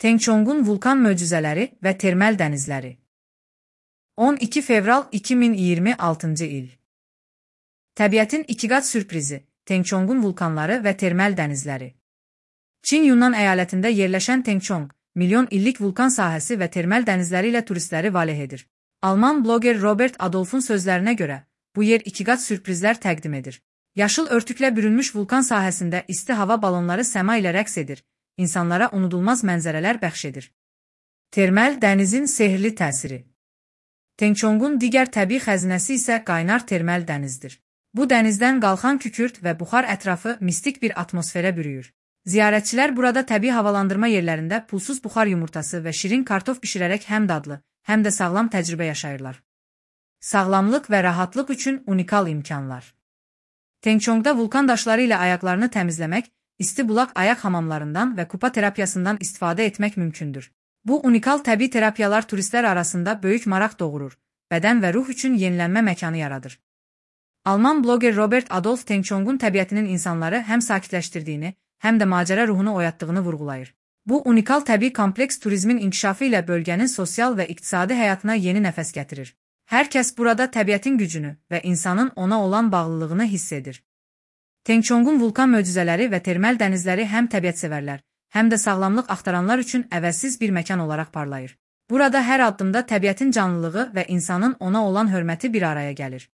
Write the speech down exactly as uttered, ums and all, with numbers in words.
Tengçongun vulkan möcüzələri və termal dənizləri. on iki fevral iki min iyirmi altıncı il. Təbiətin ikiqat sürprizi, Tengçongun vulkanları və termal dənizləri. Çin Yunnan əyalətində yerləşən Tengçong, milyon illik vulkan sahəsi və termal dənizləri ilə turistləri valeh edir. Alman bloger Robert Adolf'un sözlərinə görə, bu yer ikiqat sürprizlər təqdim edir. Yaşıl örtüklə bürünmüş vulkan sahəsində isti hava balonları səma ilə rəqs edir, insanlara unudulmaz mənzərələr bəxş edir. Termal dənizin sehirli təsiri. Tengçongun digər təbii xəzinəsi isə qaynar termal dənizdir. Bu dənizdən qalxan kükürt və buxar ətrafı mistik bir atmosferə bürüyür. Ziyarətçilər burada təbii havalandırma yerlərində pulsuz buxar yumurtası və şirin kartof bişirərək həm dadlı, həm də sağlam təcrübə yaşayırlar. Sağlamlıq və rahatlıq üçün unikal imkanlar. Tengçongda vulkan daşları ilə ayaqlarını təmizləmək, isti bulaq ayaq hamamlarından və kupa terapiyasından istifadə etmək mümkündür. Bu unikal təbii terapiyalar turistlər arasında böyük maraq doğurur, bədən və ruh üçün yenilənmə məkanı yaradır. Alman bloger Robert Adolf Tengçongun təbiətinin insanları həm sakitləşdirdiyini, həm də macəra ruhunu oyatdığını vurğulayır. Bu unikal təbii kompleks turizmin inkişafı ilə bölgənin sosial və iqtisadi həyatına yeni nəfəs gətirir. Hər kəs burada təbiətin gücünü və insanın ona olan bağlılığını hiss edir. Tengçongun vulkan möcüzələri və termal dənizləri həm təbiətsevərlər, həm də sağlamlıq axtaranlar üçün əvəzsiz bir məkan olaraq parlayır. Burada hər addımda təbiətin canlılığı və insanın ona olan hörməti bir araya gəlir.